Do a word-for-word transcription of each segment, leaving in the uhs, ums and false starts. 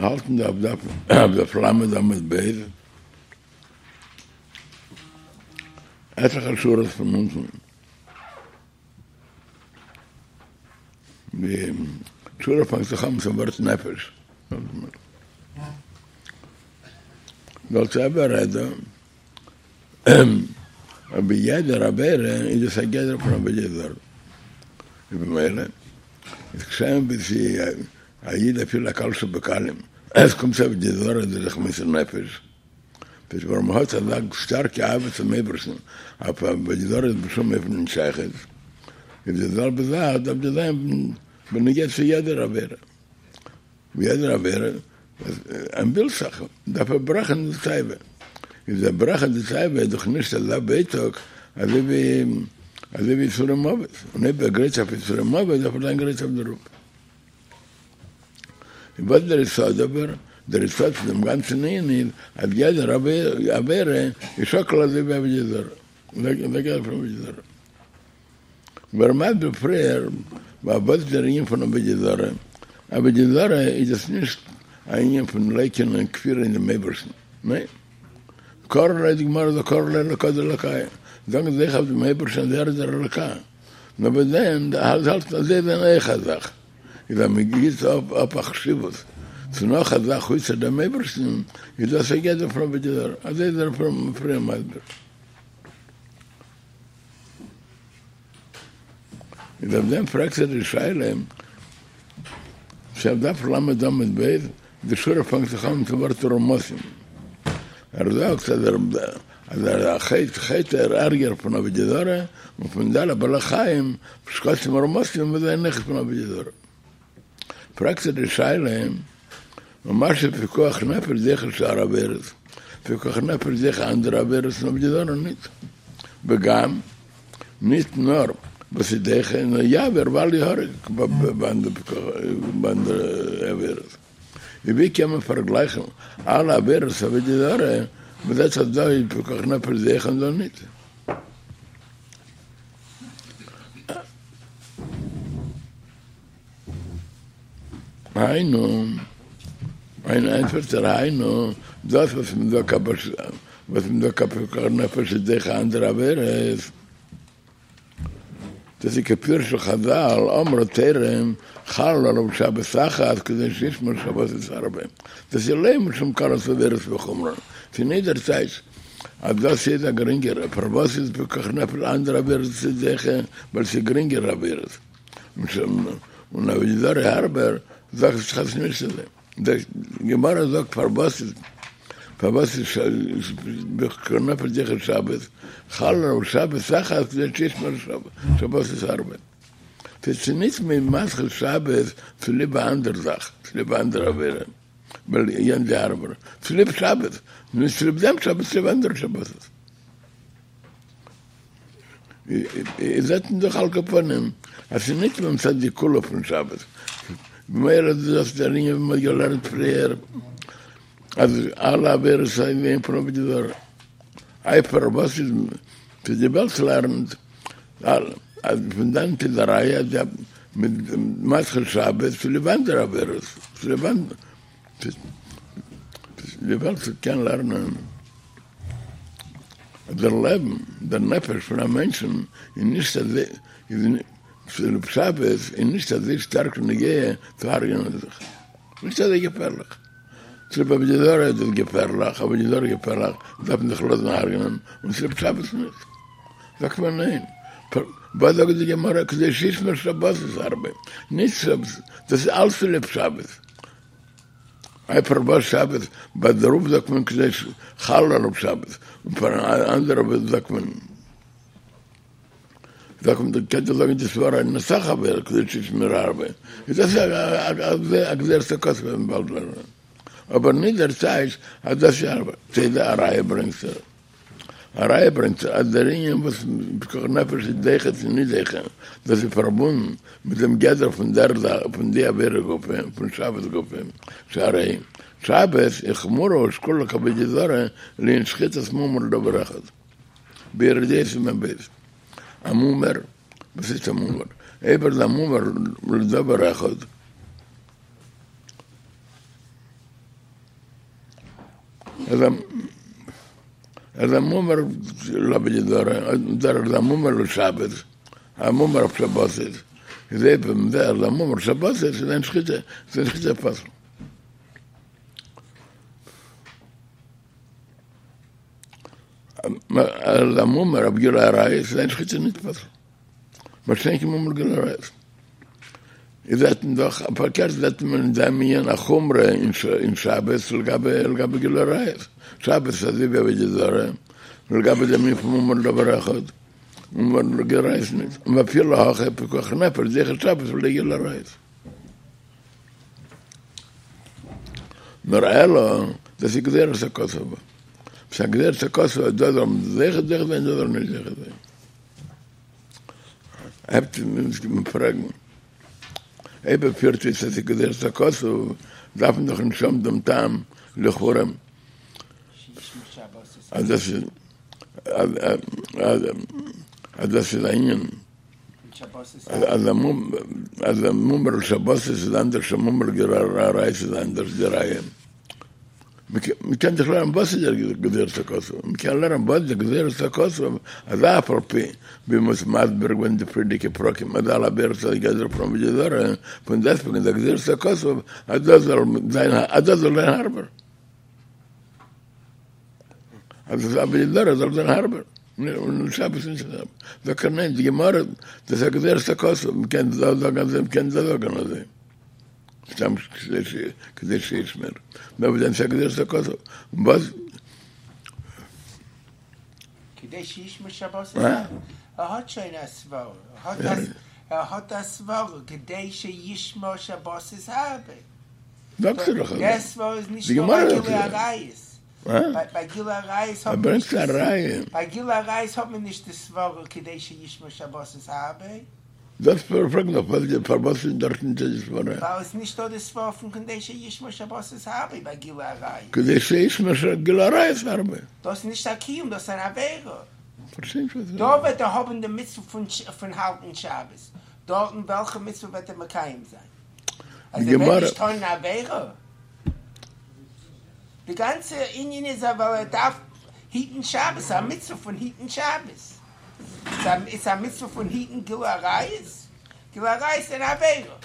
מיר האלטן דא אויף דף אויף דף למד עמוד ב', עטליכע שורות פון אונטן. די שורה פאנגט זיך אן מיטן ווארט נפש. דער אלטער רבי רעדט דא, אבער יעדער עבירה איז עס א גדר פון עבודה זרה. ובמילא איז כשם ווי ס'איז א איד אפילו א קל שבקלים, עס קומט צו עבודה זרה איז ער זיך מוסר נפש. דאס ווארום מ'האט אזא שטארקע אהבה צום אייבערשטן, אויף עבודה זרה איז בשום אופן נישט שייכות, איז די זעלבע זאך דארף דאס זיין בנוגע צו יעדער עבירה, ווי יעדער עבירה אז ווילט זיך דארף ער ברעכן די תאווה, איז דער ברעכן די תאווה איז דאך נישט אזא ווייטאג אזוי ווי אזוי ווי יסורי מוות, און אויב ער גרייט זיך אויף יסורי מוות דארף ער זיין גרייט אויף דערויף. און וואס איז דער יסוד אבער? דער יסוד פון דעם גאנצן ענין איז אז יעדער עבירה איז שקול אזוי ווי עבודה זרה, אזוי גדר פון עבודה זרה. ווי ער מסביר פריער וואס איז דער ענין פון עבודה זרה, עבודה זרה איז עס נישט א ענין פון לייקענען כפירה אין דעם אייבערשטן, ניין, קרי ליה די גמרא זאגט קרי ליה אלקא דאלקיא, זאגן זיי אויך אויף דעם אייבערשטן אז ער איז דער אלקא, נאר ביי דעם האלט אז זיי זענען אויך א זאך. איז אז מען גיט אפ א חשיבות צו נאך א זאך אויסער דעם אייבערשטן, איז דאס א גדר פון עבודה זרה, אזוי איז ער פריער מסביר. איז אויף דעם פרעגט ער די שאלה, ס'איז אויף דף למד עמוד ב', די שורה פאנגט זיך אן מיטן ווארט רמסים, ער זאגט אז אז א חטא חטא איז ערגער פון עבודה זרה און פון די אלע בעלי חיים שקצים ורמשים וואס זענען אויכעט פון עבודה זרה. פרעגט ער די שאלה ומה שפיקוח נפש דוחה שאר עבירות, פיקוח נפש דוחה אנדערע עבירות און עבודה זרה ניט, וגם ניט נאר וואס איז דוחה נאר יעבור ואל יהרג ביי אנדערע עבירות. און ווי קען מען פארגלייכן אלע עבירות עבודה זרה, מען זעט אז דא איז פיקוח נפש דוחה און דא ניט. היינו, היינו ענטפערט ער היינו, דאס וואס מען זאגט וואס מען זאגט אז פיקוח נפש איז דוחה אנדערע עבירות, דאס איז כפירוש חזל, אמרה תורה, חל עליו שבת אחת כדי שישמור שבתות הרבה. דאס איז לאו משום קלות עבירות וחומרא. ס'איז נישט דער טייטש אז דאס איז א גרינגערע, פארוואס איז פיקוח נפש אנדערע עבירות איז דוחה, ווייל ס'איז גרינגערע עבירות. און עבודה זרה הארבער, זאגט זיך אז נישט אזוי. די גמרא זאגט פארוואס איז פארוואס איז פיקוח נפש דוחה שבת, חל עליו שבת אחת כדי שישמור שבתות הרבה. ס'איז נישט מ'איז מדחה שבת צוליב א אנדער זאך, צוליב א אנדערע עבירה, ווייל יענץ איז הארבער, צוליב שבת, נישט צוליב דעם שבת, צוליב אנדערע שבתות. איז זעט מען דאך על כל פנים אז ס'איז נישט מצד די קולא פון שבת, ממילא איז דאס דער ענין ווי מ'האט געלערנט פריער אז אלע עבירות זענען פון עבודה זרה. איי פארוואס איז צו די וועלט לערנט אז פון דאנעט איז א ראיה אז מ'איז מדחה שבת צוליב אנדערע עבירות, צוליב די וועלט קען לערנען. אז דער לעבן, דער נפש פון א מענטשן איז נישט אזוי, איז צוליב שבת איז נישט אזוי שטארק נוגע צו הרג'נען זיך, נישט אזוי געפערליך. צוליב עבודה זרה איז דאס געפערליך, עבודה זרה איז געפערליך, דארף מען זיך לאזן הרג'נען, און צוליב שבת נישט. זאגט מען ניין. וואס זאגט די גמרא, כדי שישמור שבתות הרבה, נישט שבת, דאס איז אלץ צוליב שבת. איי פארוואס שבת? ביי דערויף זאגט מען כדי חל עליו שבת, און פאר אנדערע זאגט מען זאגט מען קען דאך זאגן די סברא אין אסאך עבירות כדי שישמור הרבה, איז דאס א גזירת הכתוב וועט מען באלד לערנען, אבער נישט דער טייטש אז דאס איז הארבער, ס'איז א ראיה ברענגט ער. א ראיה ברענגט ער אז דער ענין וואס פיקוח נפש איז דוחה צו נישט דוחה, דאס איז פארבונדן מיט דעם גדר פון דער זאך פון די עבירה גופא, פון שבת גופא, שהרי שבת איז חמורה ושקולה כעבודה זרה לענין שחיטת מומר לדבר אחד. ביורה דעה סימן ב'. א מומר, וואס איז א מומר? אויב ער איז א מומר לדבר אחד. אז א מומר לעבודה זרה, אדער א מומר לשבת, א מומר אויף שבת איז, איז אויב דער א מומר שבת איז זיין שחיטה, זיין שחיטה פסול. אז א מומר אויף גילוי עריות איז זיין שחיטה נישט פסול. מה שאין כן מומר גילוי עריות. איז זעט מען דאך, פארקערט זעט מען אין דעם ענין א חומרא אין שבת לגבי לגבי גילוי עריות. שבת איז אזוי ווי עבודה זרה, לגבי דעם ענין פון מומר לדבר אחד, מומר לגילוי עריות נישט. ואפילו הכי פיקוח נפש דוחה שבת ולא גילוי עריות. נאר אלא, דאס איז גזירת הכתוב. ס'איז א גזירת הכתוב אז דא זאל מען זוכה זוכה זיין דא זאל מען נישט זוכה זיין. הייבט מען פרעגן, אויב ער פירט אויס אז ס'איז גזירת הכתוב, דארף מען דאך נישט האבן דעם טעם לכאורה אז דאס איז אז דאס איז א ענין אז א מומר לשבת איז אנדערש א מומר לגילוי עריות איז אנדערש די ראיה. מ'קען זיך לערנען וואס איז דער גזירת הכתוב, מ'קען לערנען וואס די גזירת הכתוב, אז אף על פי ווי מ'האט מסביר געווען די פריערדיגע פרקים אז אלע עבירות איז גדר פון עבודה זרה, פון דעסטוועגן איז א גזירת הכתוב אז דאס זאל זיין אז דאס זאל זיין הארבער, אז דאס עבודה זרה זאל זיין הארבער, און שבת איז נישט אזוי, זאגט ער ניין, די גמרא דאס איז א גזירת הכתוב, מ'קען דאס זאגן אזוי מ'קען דאס זאגן אזוי. סתם כדי שישמר. נאר וואס דען ס'איז א גזירת הכתוב. און וואס? כדי שישמור שבת ער האט שוין א סברא. ער האט א סברא כדי שישמור שבת איז הרבה. זאגסט דאך אזוי. דער סברא איז נישט נאר ביי גילוי עריות. ביי גילוי עריות האט מען נישט ער ברענגט א ראיה. ביי גילוי עריות האט מען נישט די סברא כדי שישמור שבת איז הרבה. דאס פרעג נאך וואס די פארוואס איז דארט נישטא די סברא. ווייל עס נישטא די סברא פון כדי שישמור שבת איז הרבה ביי גילוי עריות. כדי שישמור גילוי עריות הרבה. דאס איז נישט א קיום דאס איז אן עבירה. פארשטיי נישט וואס דא וועט ער האבן די מצוה פון פון האלטן שבת, דארטן וועלכע מצוה וועט ער מקיים זיין? אז ער וועט נישט טון אן עבירה? די גאנצע ענין איז ווייל ער דארף היטן שבת, א מצוה פון היטן שבת. איז א מצוה פון היטן גילוי עריות? גילוי עריות איז אן עבירה.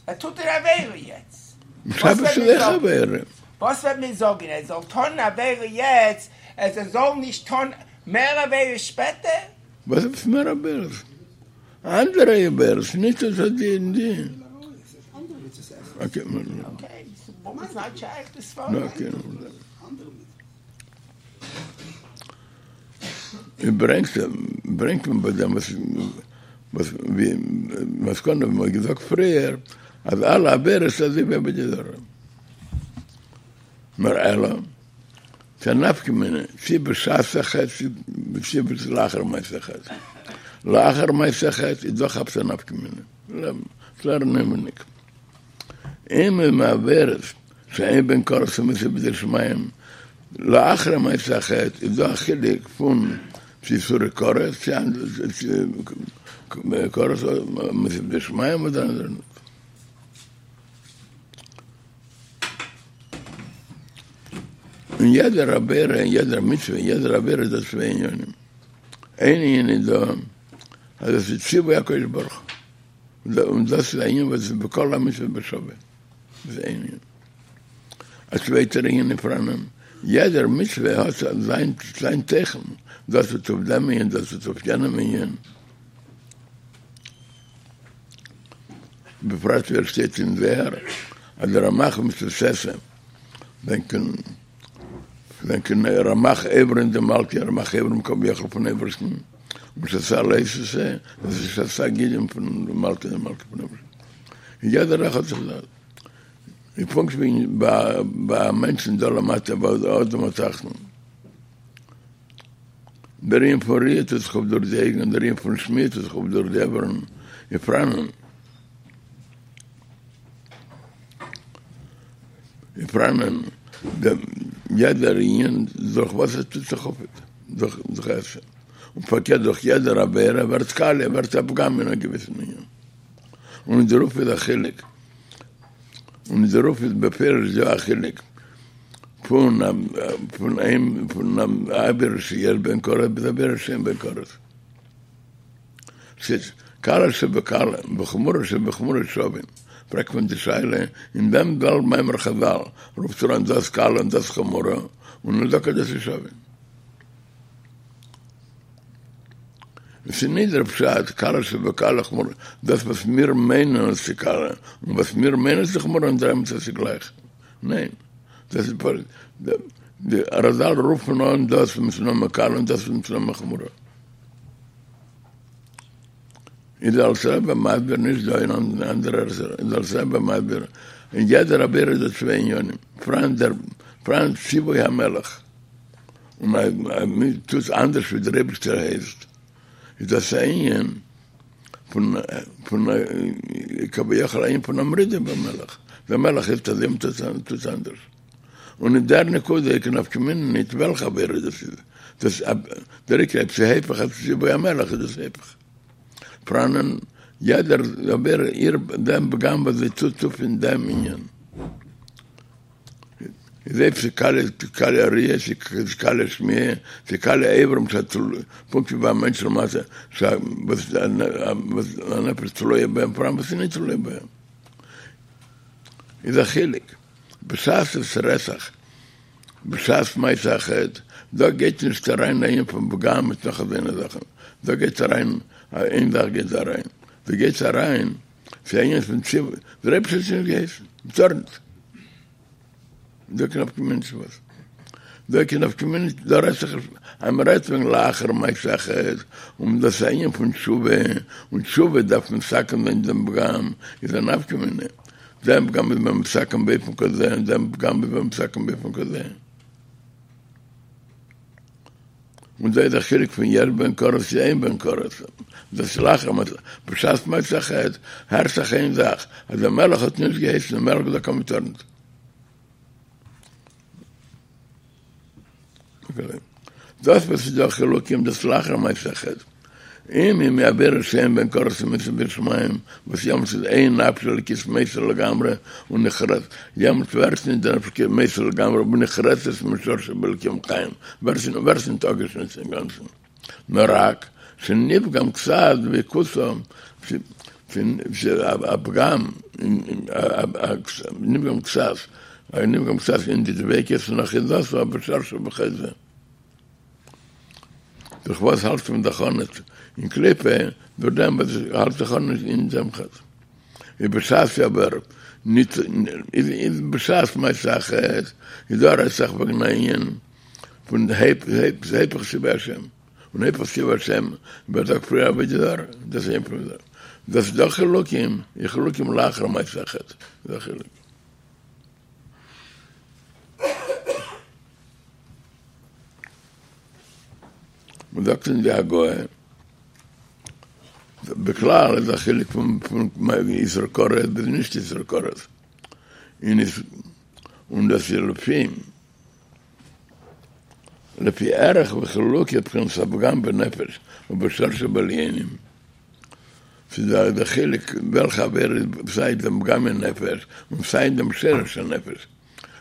ער טוט אן עבירה יעצט. שבת איז אויך עבירה. וואס וועט מען זאגן? ער זאל טון אן עבירה יעצט, אז ער זאל נישט טון מער עבירות שפעטער? וואס עפעס מער עבירות? אנדערע עבירות, נישט אזוי די און די. אקעי, ס'איז נישט שייך די סברא. ברענגט ברענגט מען ביי דעם וואס וואס ווי מסקנא ווי מ'האט געזאגט פריער אז אלע עבירות איז אזוי ווי עבודה זרה נאר אלא ס'איז א נפקא מינה צי בשעת החטא צי לאחר מעשה החטא לאחר מעשה החטא איז דאך עפעס א נפקא מינה לערנען אינעווייניג אם הם עבירות שאין בהן כרת ומיתה בידי שמים, לאחר מעשה החטא איז דא א חילוק פון צו איסורי כרת צו כרת ומיתה בידי שמים אדער אנדערע נישט. אין יעדער עבירה אין יעדער מצוה אין יעדער עבירה איז דא צוויי ענינים, איין ענין איז דא אז עס איז ציווי הקדוש ברוך הוא און דאס איז א ענין וואס איז בכל המצוות בשווה. איז איין ענין. א צווייטער ענין איז פאראנען, יעדער מצוה האט זיין זיין תוכן, דאס טוט אויף דעם ענין, דאס טוט אויף יענעם ענין. בפרט ווי עס שטייט אין זוהר אז די רמ"ח מצוות עשה זענען זענען רמ"ח אברין דמלכא, רמ"ח אברים כביכול פון אייבערשטן, און שס"ה לא תעשה, דאס איז שס"ה גידים פון מלכא דמלכא פון אייבערשטן. יעדער אחד זיך דארט. און פונקט ווי ביי א מענטשן דא למטה ביי אדם התחתון. דער ענין פון ראיה טוט זיך אויף דורך די אויגן, דער ענין פון שמיעה טוט זיך אויף דורך די אויערן, און פאראנען. און פאראנען דעם יעדער ענין דורך וואס עס טוט זיך אויף דורך דורך עשה. און פארקערט דורך יעדער עבירה ווערט קאליע, ווערט א פגם אין א געוויסן ענין. און אין דערויף איז א חילוק, און אין דערויף איז בפירוש דא א חילוק פון פון איין פון עבירה שיש בהן כרת ביז עבירה שאין בהן כרת. ס'איז קלה שבקלה וחמורה שבחמורה שווים. פרעגט מען די שאלה, אין דעם זעלבן מאמר חז"ל רופט ער אן דאס קלה און דאס חמורה, און ער זאגט אז דאס איז שווים. עס איז נישט דער פשט קלה שבקלה חמורה, דאס וואס מיר מיינען אז ס'איז קלה און וואס מיר מיינען ס'איז חמורה און דער אמת אז ס'איז גלייך. ניין, דאס איז פשוט, די רז"ל רופן אן דאס מיטן נאמען קלה און דאס מיטן נאמען חמורה. איז דער אלטער רבי מסביר נישט דא אין אנדערע ערטער, איז דער אלטער רבי מסביר אין יעדער עבירה איז דא צוויי עניינים, פאראן דער פאראן ציווי המלך, און אז מען טוט אנדערש ווי דער אייבערשטער הייסט, איז דאס א ענין פון פון כביכול א ענין פון א מרידה במלך, דער מלך הייסט אזוי מען טוט אנדערש, און אין דער נקודה איז קיין נפקא מינה ניט וועלכע עבירה דאס איז, דאס דער עיקר אויב ס'איז היפך ציווי המלך איז דאס היפך. פאראנען יעדער עבירה איר דעם פגם וואס זי טוט אויף אין דעם ענין. איז אויב ס'איז קלע קלע הראיה ס'איז קלע השמיעה ס'איז קלע האברים פונקט ווי ביי א מענטש למעשה וואס הנפש תלויה בהם פאראן וואס איז נישט תלויה בהם איז א חילוק בשעת עס רעדט זיך בשעת מעשה החטא דא גייט נישט אריין א ענין פון פגם מיט נאך אזוינע זאכן דא גייט אריין איין זאך גייט אריין דא גייט אריין ס'איז א ענין פון ציווי דער אייבערשטער האט נישט געהייסן מ'טאר נישט דא קיין נפקא מינה נישט וואס דא קיין נפקא מינה נישט דא רעדט זיך אז מ'רעדט וועגן לאחר מעשה החטא און דאס איז א ענין פון תשובה און תשובה דארף מתקן זיין דעם פגם איז א נפקא מינה דעם פגם איז מען מתקן באופן כזה און דעם פגם איז מען מתקן באופן כזה און דא איז א חילוק פון יש בהן כרת צו אין בהן כרת דאס איז לאחר מעשה בשעת מעשה החטא הערט זיך איין זאך אז דער מלך האט נישט געהייסן דער מלך האט געזאגט אז מ'טאר נישט דאס וואס איז דא חילוקים דאס לאחר מעשה החטא אם היא מעבירה שאין בהן כרת ומצוה ביראת שמים וואס יעמאלט איז אין נפש אלוקית מתה לגמרי ונחרצת יעמאלט ווערט נישט די נפש מתה לגמרי ונחרצת משורשה באלקים חיים ווערט נישט אפגעשניטן אינגאנצן נאר רק שנפגם קצת דביקותו א פגם נפגם קצת נפגם קצת אין די דביקות און אחיזתו בשורשו בחזה. דורך וואס האלט מען זיך אן אין קליפה, דורך דעם וואס האלט זיך אן אין דעם חטא. איז בשעת אבער ניט איז בשעת מעשה החטא איז דא רעדט זיך וועגן א ענין פון היפך ציווי השם, און היפך ציווי השם ווערט דאך פריער עבודה זרה, דאס איז היפך עבודה זרה. דאס איז דא חילוקים, איז חילוקים לאחר מעשה החטא, איז א חילוק. מען זאגט אין די הגהה, בכלל איז א חילוק פון איסור כרת ביז נישט איסור כרת, און דאס איז לפי לפי ערך וחילוקי בחינת הפגם בנפש ובשורש שבעליונים, ס'איז דא די חילוק וועלכע עבירה איז סיי דעם פגם אין נפש און סיי אין דעם שרש הנפש.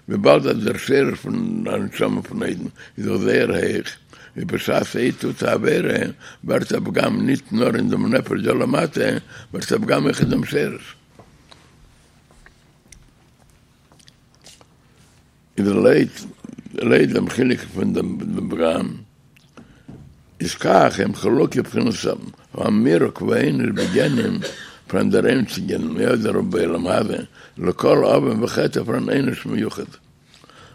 וויבאלד אז דער שרש פון א נשמה פון א אידן איז דאך זייער הויך, איז בשעת א איד טוט א עבירה ווערט א פגם ניט נאר אין דעם נפש דא למטה, ווערט א פגם אויך אין דעם שרש. איז לויט לויט דעם חילוק פון דעם פגם איז כך הם חלוקי בחינת המירוק והעונש בגיהנם פאראן דער עונש אין גיהנם אדער בעולם הזה לכל עוון וחטא פאראן עונש מיוחד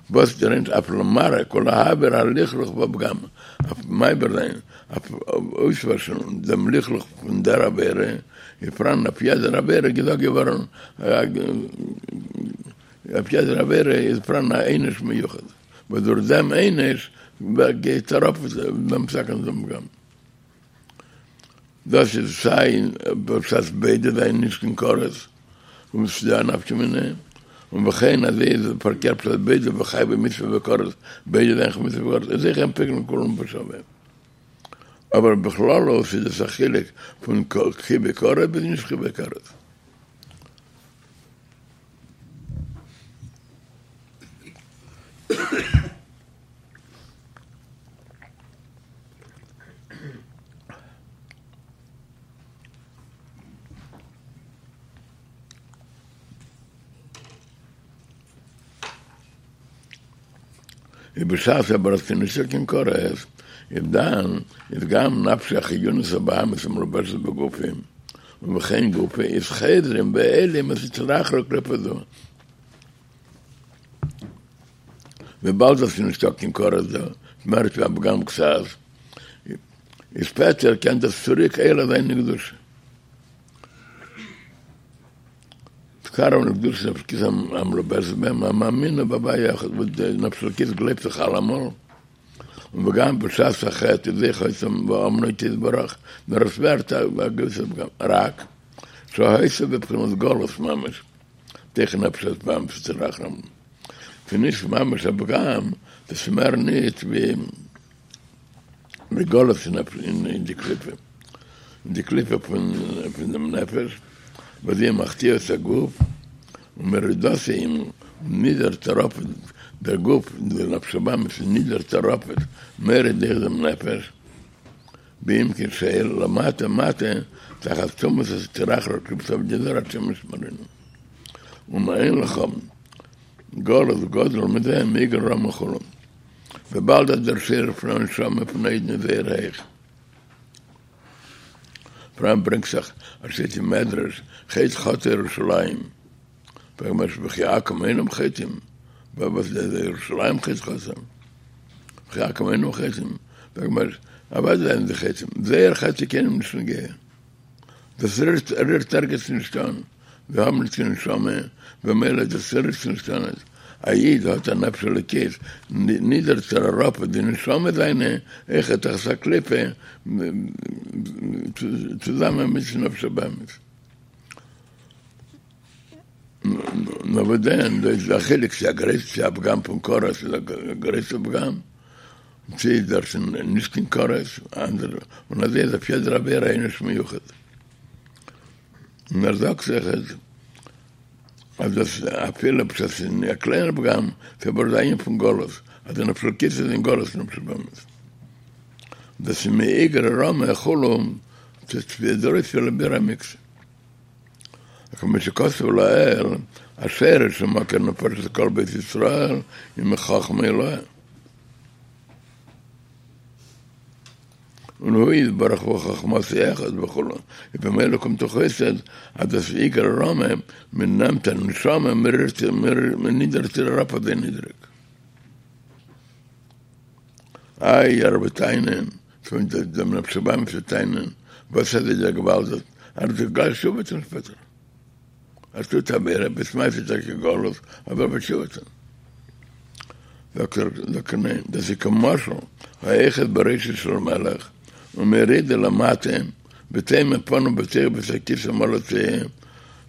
וואס דער עונש אויף למרק ולהעביר הלכלוך והפגם אויף מעביר זיין אויף אויסוואשן דעם לכלוך פון דער עבירה איז פאראן אויף יעדער עבירה געזאגט געווארן אויף יעדער עבירה איז פאראן א עונש מיוחד, וואס דורך דעם עונש גייט אראפ דעם מתקן דעם פגם. דאס איז סיי בשעת ביידע זענען נישט קיין כרת, און ס'איז דא א נפקא מינה, און וכן אזוי איז פארקערט בשעת ביידע וחייבי מצוה בכרת, ביידע זענען חייב מצוה בכרת, איז אויך אין פוקלין כולם בשווה. אבער בכללות איז עס א חילוק פון חייבי כרת ביז נישט חייבי כרת. ובשעת אבל אז נישט קיין כרת, איז דאן איז גם נפש החיונית הבהמית המלובשת בגופים, ובכן גופי איז חוזרים ועולים הסטרא אחרא קליפה זו. וויבאלד אז נישטא קיין כרת דא, מער ווי א פגם קצת, איז שפעטער קען דאס צוריק עולה זיין אין קדושה. תקרב לקדושת נפש אלקית המלובשת בהם, המאמינה בהוויה אחד, וואס די נפש אלקית גלייבט זיך אלעמאל, וגם בשעת החטא איז אויך היתה באמנה אתו יתברך, נאר עס ווערט א געוויסע פגם, רק שהיתה בבחינת גלות ממש, תוך נפש הבהמית סטרא אחרא. ס'איז נישט ממש א פגם, דאס איז מער נישט ווי ווי גלות אין די קליפה, אין די קליפה פון פון דעם נפש, וואס זי מחטיא את הגוף, ומורידתו און נידערט אראפ דער גוף, די נפש הבהמית נידערט אראפ מוריד דעם נפש, בעמקי שאול למטה מטה תחת טומאת הסטרא אחרא קליפת עבודה זרה השם ישמרנו. ומה אין לך גלות גדול מזה מאיגרא רמא וכו'. וויבאלד אז דער שורש פון א נשמה פון א אידן איז זייער הויך. פאראן ברענגט זיך אז שטייט אין מדרש חטא חטאה ירושלים, פרעגט מען וכי עכו"ם אינם חוטאים, וואס איז ירושלים חטא חטאה? וכי עכו"ם אינם חוטאים, פרעגט מען אוודאי זענען זיי חוטאים, זייער חטא איז קיינעם נישט נוגע. דאס רירט ערגעץ נישט אן, זיי האבן נישט קיין נשמה, במילא דאס רירט נישט אן. א איד האט א נפש אלוקית, נידערט ער אראפ די נשמה זיינע, אויכעט תחת הקליפה, צוזאמען מיט נפש הבהמית. נאר וואס דען, דא איז א חילוק צו א גרויס צו א פגם פון כרת איז א גרויסע פגם, צו איז דאס נישט קיין כרת, אנדערע, און אזוי איז אויף יעדער עבירה עונש מיוחד. און ער זאגט זיך אז אז דאס אפילו בשעת ס'איז א קליינער פגם, ס'איז אבער די ענין פון גלות, אז די נפש אלוקית איז אין גלות נפש הבהמית. דאס איז מאיגרא רמא וכו', ס'איז דערויף לביאור המקצת. כמו שכתוב לעיל, השורש ומקור נפשות כל בית ישראל היא מחכמה עילאה. און הוא יתברך וחכמתו אחד וכו', ובמילא קומט דאך אויס אז דאס איגרא רמא, מען נעמט א נשמה מען נידערט איר אראפ אזוי נידריג. איי ער וועט טענה'ן, פון דעם נפש הבהמית וועט טענה'ן, וואס איז דער געוואלד, ער וועט זיך גלייך תשובה טון שפעטער. ער טוט עבירה, בשעת מעשה איז טאקע גלות, אבער ער וועט תשובה טון. זאגט ער, זאגט ער ניין, דאס איז כמשל האוחז בראשו של מלך ומורידו למטה וטומן פניו בתוך בית הכסא מלא צואה,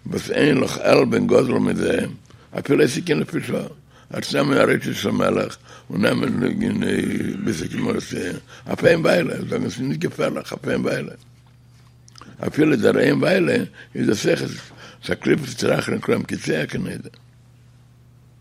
וואס אין לך עלבון גדול מזה, אפילו לא עושה כן לפי שעה, ער וועט נעמען א ראשו של מלך און נעמען אין בית הכסא מלא צואה, אויף איין וויילע, זאגן עס איז נישט געפערליך, אויף איין וויילע. אפילו דער איין וויילע איז דאס אויך א קליפת סטרא אחרא נקראים כי צואה כנדע.